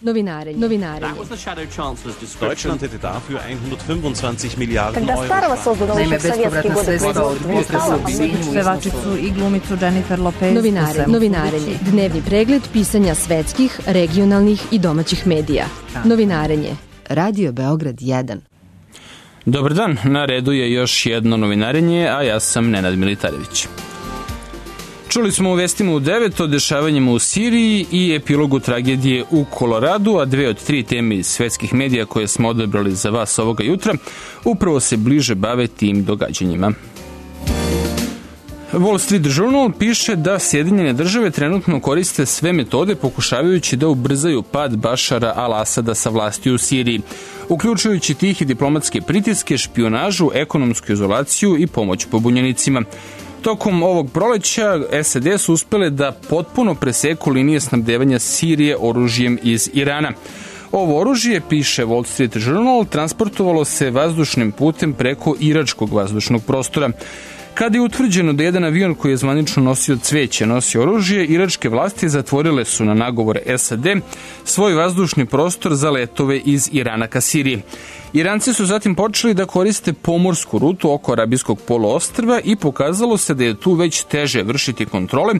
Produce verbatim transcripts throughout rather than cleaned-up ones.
Novinarenje. Novinarenje. Deutschland hätte dafür hundertfünfundzwanzig Milliarden Euro. Naime, bespovratna sredstva od potresa u Sinju. Pevačicu i glumicu Jennifer Lopez. Novinarenje. Novinarenje. Dnevni pregled pisanja svetskih, regionalnih i domaćih medija. Novinarenje. Radio Beograd jedan. Dobar dan, na redu je još jedno novinarenje, a ja sam Nenad Militarević. Čuli smo u vestima u devet o dešavanjima u Siriji i epilogu tragedije u Koloradu, a dve od tri teme iz svetskih medija koje smo odabrali za vas ovoga jutra upravo se bliže bave tim događanjima. Wall Street Journal piše da Sjedinjene države trenutno koriste sve metode pokušavajući da ubrzaju pad Bašara al-Asada sa vlasti u Siriji, uključujući tih i diplomatske pritiske, špijunažu, ekonomsku izolaciju i pomoć pobunjenicima. Tokom ovog proleća S A D su uspele da potpuno preseku linije snabdevanja Sirije oružjem iz Irana. Ovo oružje, piše Wall Street Journal, transportovalo se vazdušnim putem preko iračkog vazdušnog prostora. Kada je utvrđeno da jedan avion koji je zvanično nosio cveće nosi oružje, iračke vlasti zatvorile su na nagovor S A D svoj vazdušni prostor za letove iz Irana ka Siriji. Iranci su zatim počeli da koriste pomorsku rutu oko Arabijskog poluostrva i pokazalo se da je tu već teže vršiti kontrole,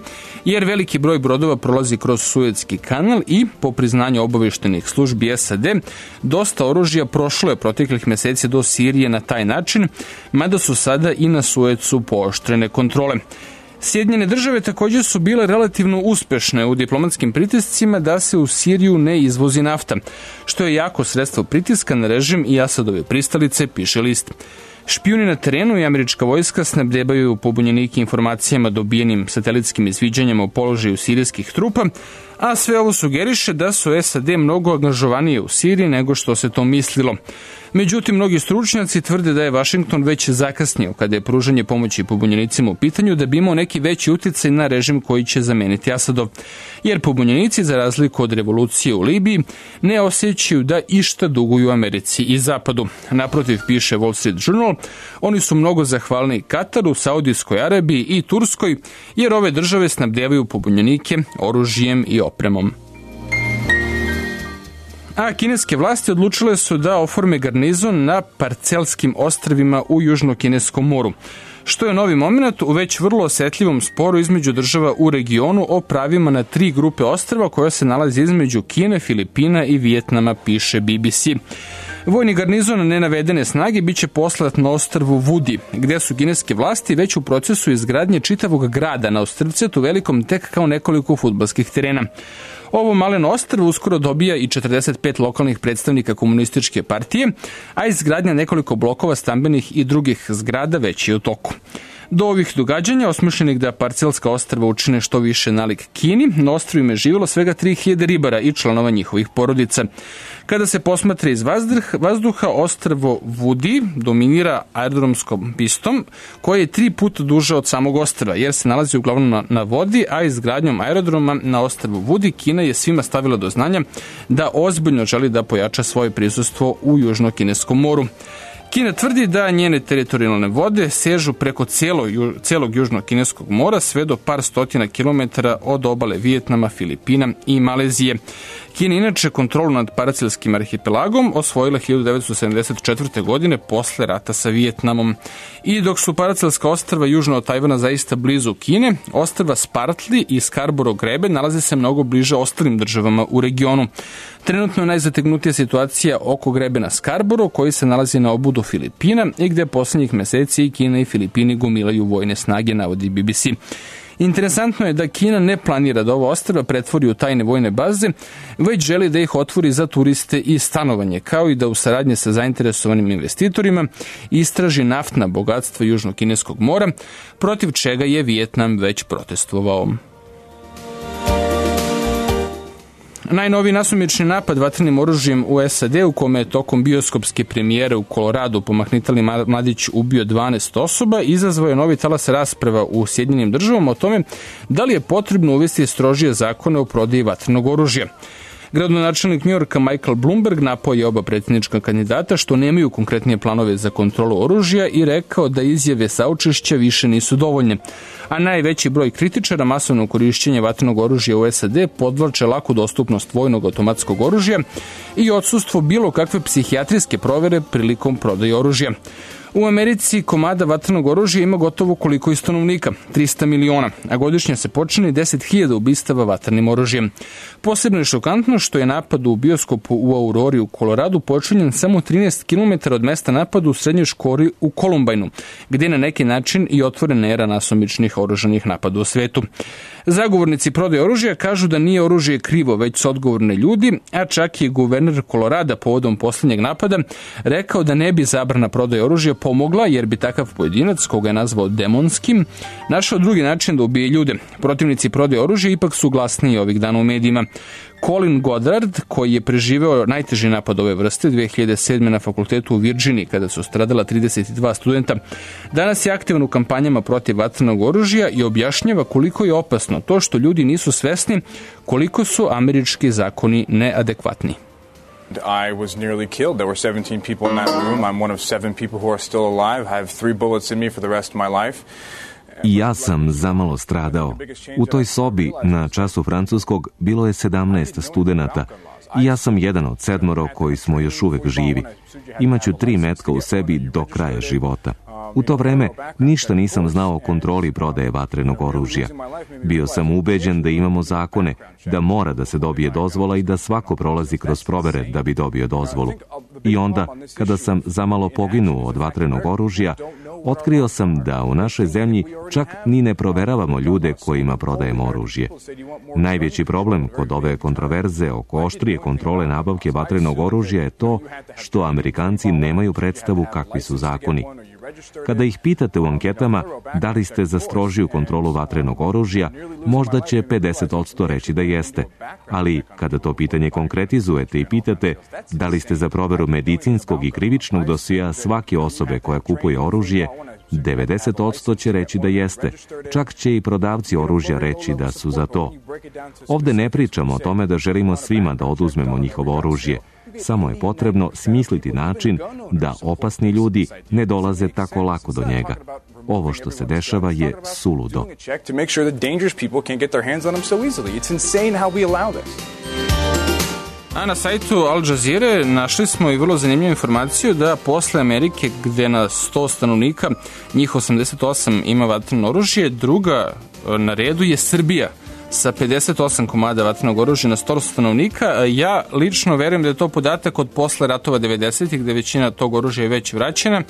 jer veliki broj brodova prolazi kroz Suetski kanal i, po priznanju obaveštenih službi S A D, dosta oružja prošlo je proteklih meseci do Sirije na taj način, mada su sada i na Suecu pooštrene kontrole. Sjedinjene države također su bile relativno uspešne u diplomatskim pritiscima da se u Siriju ne izvozi nafta, što je jako sredstvo pritiska na režim i Asadove pristalice, piše list. Špijuni na terenu i američka vojska snabdevaju pobunjenike informacijama dobijenim satelitskim izviđanjima o položaju sirijskih trupa, a sve ovo sugeriše da su S A D mnogo angažovanije u Siriji nego što se to mislilo. Međutim, mnogi stručnjaci tvrde da je Vašington već zakasnio kada je pružanje pomoći pobunjenicima u pitanju da bi imao neki veći uticaj na režim koji će zameniti Asadov. Jer pobunjenici, za razliku od revolucije u Libiji, ne osjećaju da išta duguju Americi i Zapadu. Naprotiv, piše Wall Street Journal, oni su mnogo zahvalni Kataru, Saudijskoj Arabiji i Turskoj, jer ove države snabdevaju pobunjenike oružjem i opremom. A kineske vlasti odlučile su da oforme garnizon na Parcelskim ostrvima u Južno-Kineskom moru, što je novi moment u već vrlo osetljivom sporu između država u regionu o pravima na tri grupe ostrva koja se nalazi između Kine, Filipina i Vijetnama, piše B B C. Vojni garnizon nenavedene snage biće poslat na ostrvu Vudi, gde su kineske vlasti već u procesu izgradnje čitavog grada na ostrvcetu velikom tek kao nekoliko fudbalskih terena. Ovo maleno ostrvo uskoro dobija i četrdeset pet lokalnih predstavnika komunističke partije, a izgradnja nekoliko blokova stambenih i drugih zgrada već je u toku. Do ovih događanja, osmišljenih da Parcelska ostrva učine što više nalik Kini, na ostrvima je živjelo svega tri hiljade ribara i članova njihovih porodica. Kada se posmatra iz vazduha, ostrvo Vudi dominira aerodromskom pistom, koja je tri puta duža od samog ostrva, jer se nalazi uglavnom na, na vodi, a izgradnjom aerodroma na ostrvu Vudi Kina je svima stavila do znanja da ozbiljno želi da pojača svoje prisustvo u Južno-Kineskom moru. Kina tvrdi da njene teritorijalne vode sežu preko cijelo, cijelog Južno-Kineskog mora sve do par stotina kilometara od obale Vijetnama, Filipina i Malezije. Kina inače kontrolu nad Paracelskim arhipelagom osvojila hiljadu devetsto sedamdeset četvrte. godine posle rata sa Vijetnamom. I dok su Paracelska ostrva južno od Tajvana zaista blizu Kine, ostrva Spratly i Scarborough grebe nalaze se mnogo bliže ostalim državama u regionu. Trenutno je najzategnutija situacija oko grebena Scarborough, koji se nalazi na obudu Filipina i gde poslednjih meseci i Kina i Filipini gomilaju vojne snage, navodi B B C. Interesantno je da Kina ne planira da ovo ostrva pretvori u tajne vojne baze, već želi da ih otvori za turiste i stanovanje, kao i da u saradnji sa zainteresovanim investitorima istraži naftna bogatstva Južno-Kineskog mora, protiv čega je Vijetnam već protestovao. Najnoviji nasumični napad vatrenim oružjem u S A D, u kome je tokom bioskopske premijere u Koloradu pomahnitali mladić ubio dvanaest osoba, izazvao je novi talas rasprava u Sjedinjenim državama o tome da li je potrebno uvesti strožije zakone o prodaji vatrenog oružja. Gradonačelnik Njujorka Michael Bloomberg napao je oba predsjednička kandidata što nemaju konkretnije planove za kontrolu oružja i rekao da izjave saučešća više nisu dovoljne. A najveći broj kritičara masovnog korišćenja vatrenog oružja u S A D podvlače laku dostupnost vojnog automatskog oružja i odsustvo bilo kakve psihijatrijske provere prilikom prodaje oružja. U Americi komada vatrenog oružja ima gotovo koliko i stanovnika, trista miliona, a godišnje se počini deset hiljada ubistava vatrenim oružjem. Posebno je šokantno što je napad u bioskopu u Aurori u Koloradu počinjen samo trinaest kilometara od mesta napada u srednjoj školi u Kolumbajnu, gdje je na neki način i otvorena era nasumičnih oružanih napada u svetu. Zagovornici prodaje oružja kažu da nije oružje krivo, već su odgovorni ljudi, a čak je guverner Kolorada povodom posljednjeg napada rekao da ne bi zabrana prodaje oružja pomogla, jer bi takav pojedinac, koga je nazvao demonskim, našao drugi način da ubije ljude. Protivnici prodaje oružja ipak su glasniji ovih dana u medijima. Colin Goddard, koji je preživeo najteži napad ove vrste dve hiljade sedme na fakultetu u Virginiji kada su stradala trideset dva studenta, danas je aktivan u kampanjama protiv vatrenog oružja i objašnjava koliko je opasno to što ljudi nisu svesni koliko su američki zakoni neadekvatni. I was nearly killed. There were seventeen people in that room. I'm one of seven people who are still alive. I have three bullets in me for the rest of my life. I ja sam zamalo stradao. U toj sobi na času francuskog bilo je sedamnaest studenata i ja sam jedan od sedmoro koji smo još uvek živi. Imaću tri metka u sebi do kraja života. U to vreme ništa nisam znao o kontroli prodaje vatrenog oružja. Bio sam ubeđen da imamo zakone, da mora da se dobije dozvola i da svako prolazi kroz provere da bi dobio dozvolu. I onda, kada sam zamalo poginuo od vatrenog oružja, otkrio sam da u našoj zemlji čak ni ne proveravamo ljude kojima prodajemo oružje. Najveći problem kod ove kontroverze oko oštrije kontrole nabavke vatrenog oružja je to što Amerikanci nemaju predstavu kakvi su zakoni. Kada ih pitate u anketama da li ste za strožiju kontrolu vatrenog oružja, možda će pedeset posto reći da jeste. Ali kada to pitanje konkretizujete i pitate da li ste za proveru medicinskog i krivičnog dosija svake osobe koja kupuje oružje, devedeset posto će reći da jeste. Čak će i prodavci oružja reći da su za to. Ovde ne pričamo o tome da želimo svima da oduzmemo njihovo oružje. Samo je potrebno smisliti način da opasni ljudi ne dolaze tako lako do njega. Ovo što se dešava je suludo. A na sajtu Al Jazeere našli smo i vrlo zanimljivu informaciju da posle Amerike, gde na sto stanovnika njih osamdeset osam ima vatreno oružje, druga na redu je Srbija sa pedeset osam komada vatrenog oružja na sto stanovnika. Ja lično verujem da je to podatak od posle ratova devedesetih, gde većina tog oružja je već vraćena,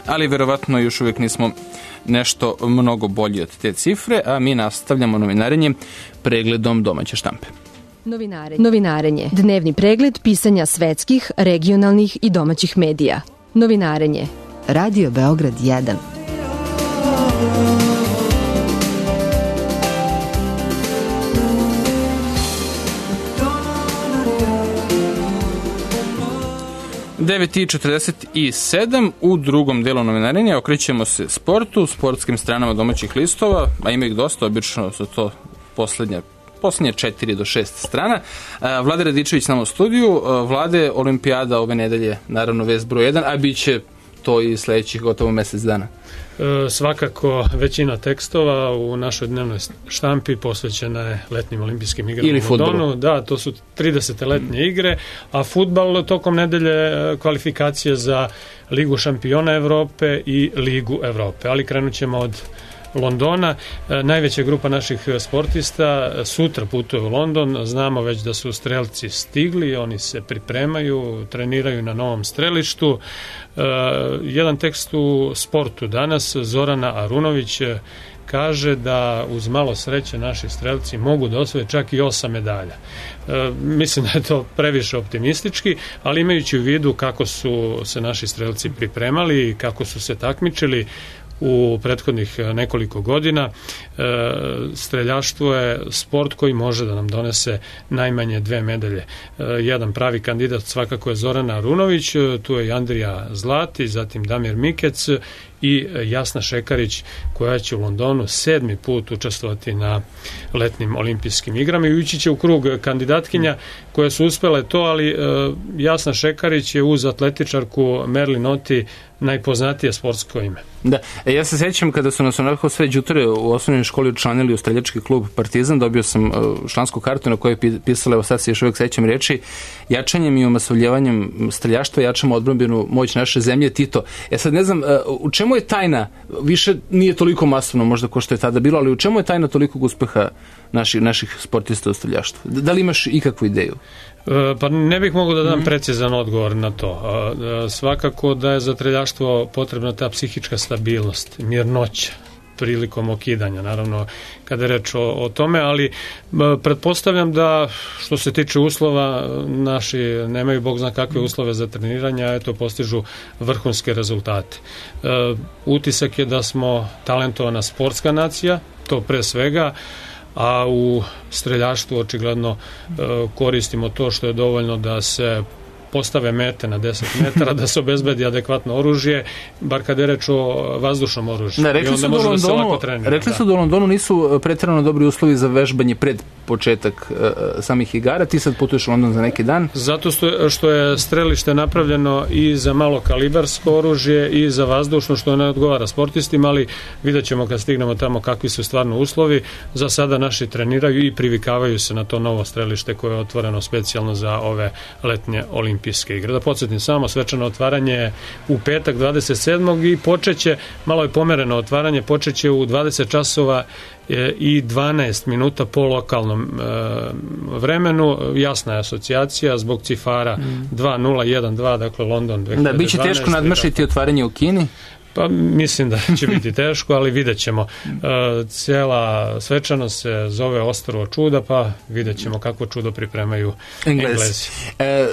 ali verovatno još uvijek nismo nešto mnogo bolji od te cifre, a mi nastavljamo novinarenje pregledom domaće štampe. Novinarenje. Novinarenje. Dnevni pregled pisanja svetskih, regionalnih i domaćih medija. Novinarenje. Radio Beograd jedan. devet i četrdeset sedam u drugom delu novinarenja okrećemo se sportu, sportskim stranama domaćih listova, a ima ih dosta, obično su to poslednje posljednje četiri do šest strana. Vlade Radičević nam u studiju. Vlade, olimpijada ove nedelje, naravno vest broj jedan, a bit će to i sledećih gotovo mesec dana. E, svakako većina tekstova u našoj dnevnoj štampi posvećena je letnjim olimpijskim igrama ili u Londonu. Da, to su tridesete letnje mm. igre, a fudbal tokom nedelje kvalifikacije za Ligu šampiona Evrope i Ligu Evrope. Ali krenut ćemo od Londona. E, najveća grupa naših sportista sutra putuje u London. Znamo već da su strelci stigli, oni se pripremaju, treniraju na novom strelištu. E, jedan tekst u sportu danas, Zorana Arunović kaže da uz malo sreće naši strelci mogu da osvoje čak i osam medalja. E, mislim da je to previše optimistički, ali imajući u vidu kako su se naši strelci pripremali i kako su se takmičili u prethodnih nekoliko godina, e, streljaštvo je sport koji može da nam donese najmanje dve medalje. E, jedan pravi kandidat svakako je Zorana Arunović, tu je i Andrija Zlati, zatim Damir Mikec i Jasna Šekarić koja će u Londonu sedmi put učestvovati na letnim olimpijskim igrama i ući će u krug kandidatkinja koje su uspele to, ali Jasna Šekarić je uz atletičarku Merlin Otti najpoznatije sportsko ime. Da, e, ja se sećam kada su nas onako sve đuture u osnovnoj školi učlanili u streljački klub Partizan, dobio sam uh, člansku kartu na kojoj je pisala, evo sad se još uvijek sećam reči, jačanjem i omasovljavanjem streljaštva jačamo odbrambenu moć naše zemlje, Tito. Ja sad ne znam, uh, u čemu je tajna, više nije toliko masovno možda ko što je tada bilo, ali u čemu je tajna tolikog uspeha naših, naših sportista u streljaštvu? Da li imaš ikakvu ideju? Pa ne bih mogao da dam precizan odgovor na to. Svakako da je za streljaštvo potrebna ta psihička stabilnost, mirnoća prilikom okidanja, naravno kada je reč o, o tome, ali pretpostavljam da što se tiče uslova, naši nemaju bog zna kakve uslove za treniranje, a eto postižu vrhunske rezultate. E, utisak je da smo talentovana sportska nacija, to pre svega, a u streljaštvu očigledno e, koristimo to što je dovoljno da se postave mete na deset metara, da se obezbedi adekvatno oružje, bar kada je reč o vazdušnom oružju. Ne, rekli, su da, Londonu, da rekli su da u Londonu nisu pretjerano dobri uslovi za vežbanje pred početak uh, samih igara. Ti sad putuješ u London za neki dan? Zato što je strelište napravljeno i za malo kalibarsko oružje i za vazdušno, što ne odgovara sportistima, ali vidjet ćemo kad stignemo tamo kakvi su stvarno uslovi. Za sada naši treniraju i privikavaju se na to novo strelište koje je otvoreno specijalno za ove letnje olimpijske igre. Da podsjetim samo, svečano otvaranje je u petak dvadeset sedmog i počeće, malo je pomereno otvaranje, počeće u dvadeset časova i dvanaest minuta po lokalnom e, vremenu. Jasna je asocijacija zbog cifara mm. dva nula jedan dva, dakle London dve hiljade dvanaest. Da, biće teško nadmašiti otvaranje u Kini? Pa mislim da će biti teško, ali vidjet ćemo. E, cijela svečanost se zove Ostrvo čuda, pa vidjet ćemo kako čudo pripremaju Englezi. Englezi. E,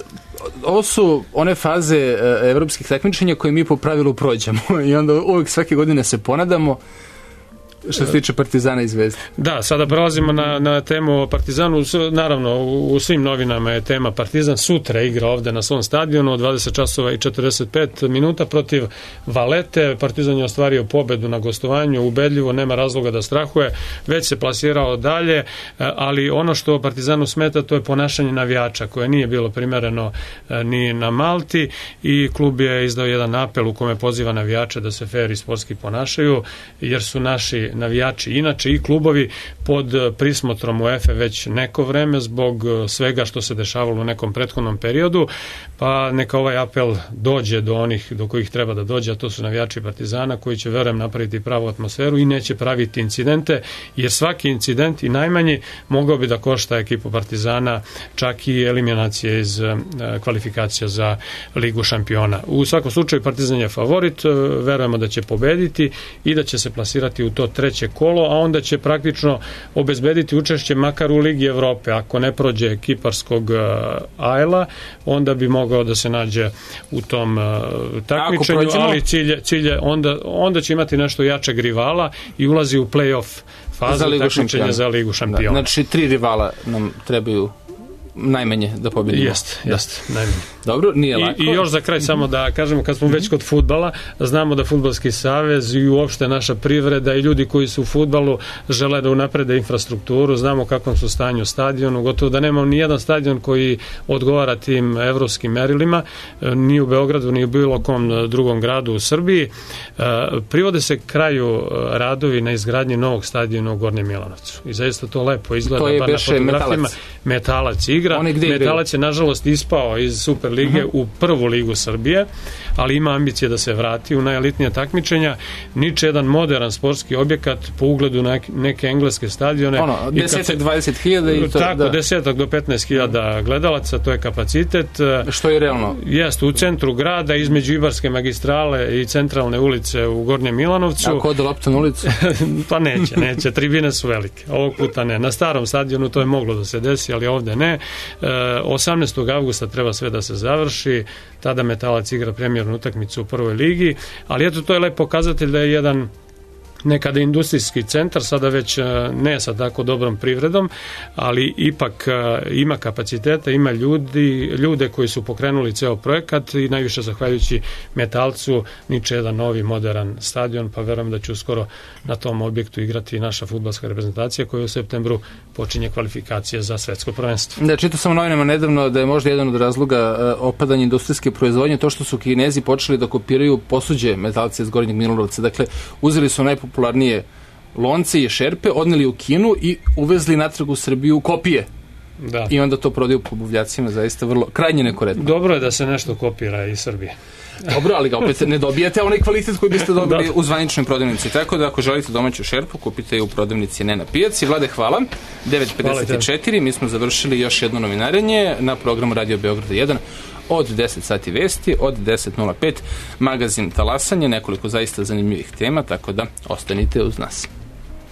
ovo su one faze e, evropskih takmičenja koje mi po pravilu prođemo i onda uvijek svake godine se ponadamo. Što se tiče Partizana i Zvezde. Da, sada prelazimo na, na temu o Partizanu. Naravno, u, u svim novinama je tema Partizan. Sutra igra ovde na svom stadionu od dvadeset časova i četrdeset pet minuta protiv Valete. Partizan je ostvario pobedu na gostovanju, ubedljivo, nema razloga da strahuje, već se plasirao dalje, ali ono što Partizanu smeta, to je ponašanje navijača, koje nije bilo primereno ni na Malti, i klub je izdao jedan apel u kome poziva navijače da se fer i sportski ponašaju, jer su naši navijači inače i klubovi pod prismotrom UEFA već neko vreme zbog svega što se dešavalo u nekom prethodnom periodu, pa neka ovaj apel dođe do onih do kojih treba da dođe, a to su navijači Partizana, koji će, verujem, napraviti pravu atmosferu i neće praviti incidente, jer svaki incident i najmanji mogao bi da košta ekipu Partizana čak i eliminacije iz kvalifikacija za Ligu šampiona. U svakom slučaju Partizan je favorit, verujemo da će pobediti i da će se plasirati u to treće kolo, a onda će praktično obezbediti učešće makar u Ligi Evrope. Ako ne prođe kiparskog Ajla, onda bi mogao da se nađe u tom uh, takmičenju, ali cilje, cilje onda, onda će imati nešto jačeg rivala i ulazi u play-off fazu takmičenja za Ligu šampiona. Da, znači tri rivala nam trebaju najmanje da pobedimo. Jest, jest, najmanje. Dobro, nije lako. I, I još za kraj samo da kažemo, kad smo već kod fudbala, znamo da Fudbalski savez i uopšte naša privreda i ljudi koji su u fudbalu žele da unaprede infrastrukturu, znamo kakvom su stanju stadionu, gotovo da nemamo ni jedan stadion koji odgovara tim evropskim merilima, ni u Beogradu, ni u bilo kom drugom gradu u Srbiji. Privode se kraju radovi na izgradnji novog stadiona u Gornjem Milanovcu. I zaista to lepo izgleda, to je pa na fotografijama. Metalac. Metalac igra. Metalac je nažalost ispao iz Super lige uh-huh. u prvu ligu Srbije, ali ima ambicije da se vrati u najelitnija takmičenja. Niče jedan modern sportski objekat po ugledu na neke engleske stadione. Ono, deset do dvadeset hiljada i to, tako, da. deset do petnaest hiljada gledalaca, to je kapacitet. Što je realno? Jeste, u centru grada, između Ibarske magistrale i centralne ulice u Gornjem Milanovcu. Ako ode lopta na ulicu? Pa neće, neće. Tribine su velike. Ovog puta ne. Na starom stadionu to je moglo da se desi, ali ovde ne. osamnaestog avgusta treba sve da se završi, tada Metalac igra premijernu utakmicu u prvoj ligi, ali eto, to je lep pokazatelj da je jedan nekada industrijski centar, sada već ne sa tako dobrom privredom, ali ipak ima kapaciteta, ima ljudi, ljude koji su pokrenuli ceo projekat i najviše zahvaljujući Metalcu niče jedan novi modern stadion, pa verujem da će uskoro na tom objektu igrati i naša fudbalska reprezentacija koja u septembru počinje kvalifikacije za svetsko prvenstvo. Da, čitao sam u novinama nedavno da je možda jedan od razloga opadanja industrijske proizvodnje to što su Kinezi počeli da kopiraju posuđe Metalca iz Gornjeg Milanovca. Dakle, uzeli su najpopularnije lonce i šerpe, odneli u Kinu i uvezli natrag u Srbiju kopije. Da. I onda to prodaju po buvljacima, zaista vrlo krajnje nekorektno. Dobro je da se nešto kopira iz Srbije. Dobro, ali ga opet ne dobijate onaj kvalitet koji biste dobili u zvaničnoj prodavnici. Tako da ako želite domaću šerpu, kupite je u prodavnici, ne na pijaci. Vlade, hvala. devet pedeset četiri, mi smo završili još jedno novinarenje na programu Radio Beograda jedan. Od deset sati vesti, od deset nula pet magazin Talasanje, nekoliko zaista zanimljivih tema, tako da ostanite uz nas.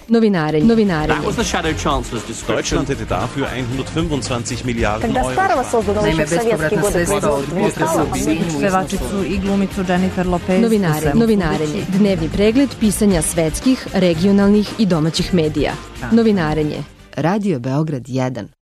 Novinarenje. Novinarenje. That was the Shadow Chancellor's description. Deutschland hätte dafür hundertfünfundzwanzig Milliarden Тогда Euro. старого созданного еще в советские годы производства не стало. Pevačicu i glumicu Jennifer Lopez. Novinarenje. Novinarenje. Dnevni pregled pisanja svetskih, regionalnih i domaćih medija. Novinarenje. Radio Beograd jedan.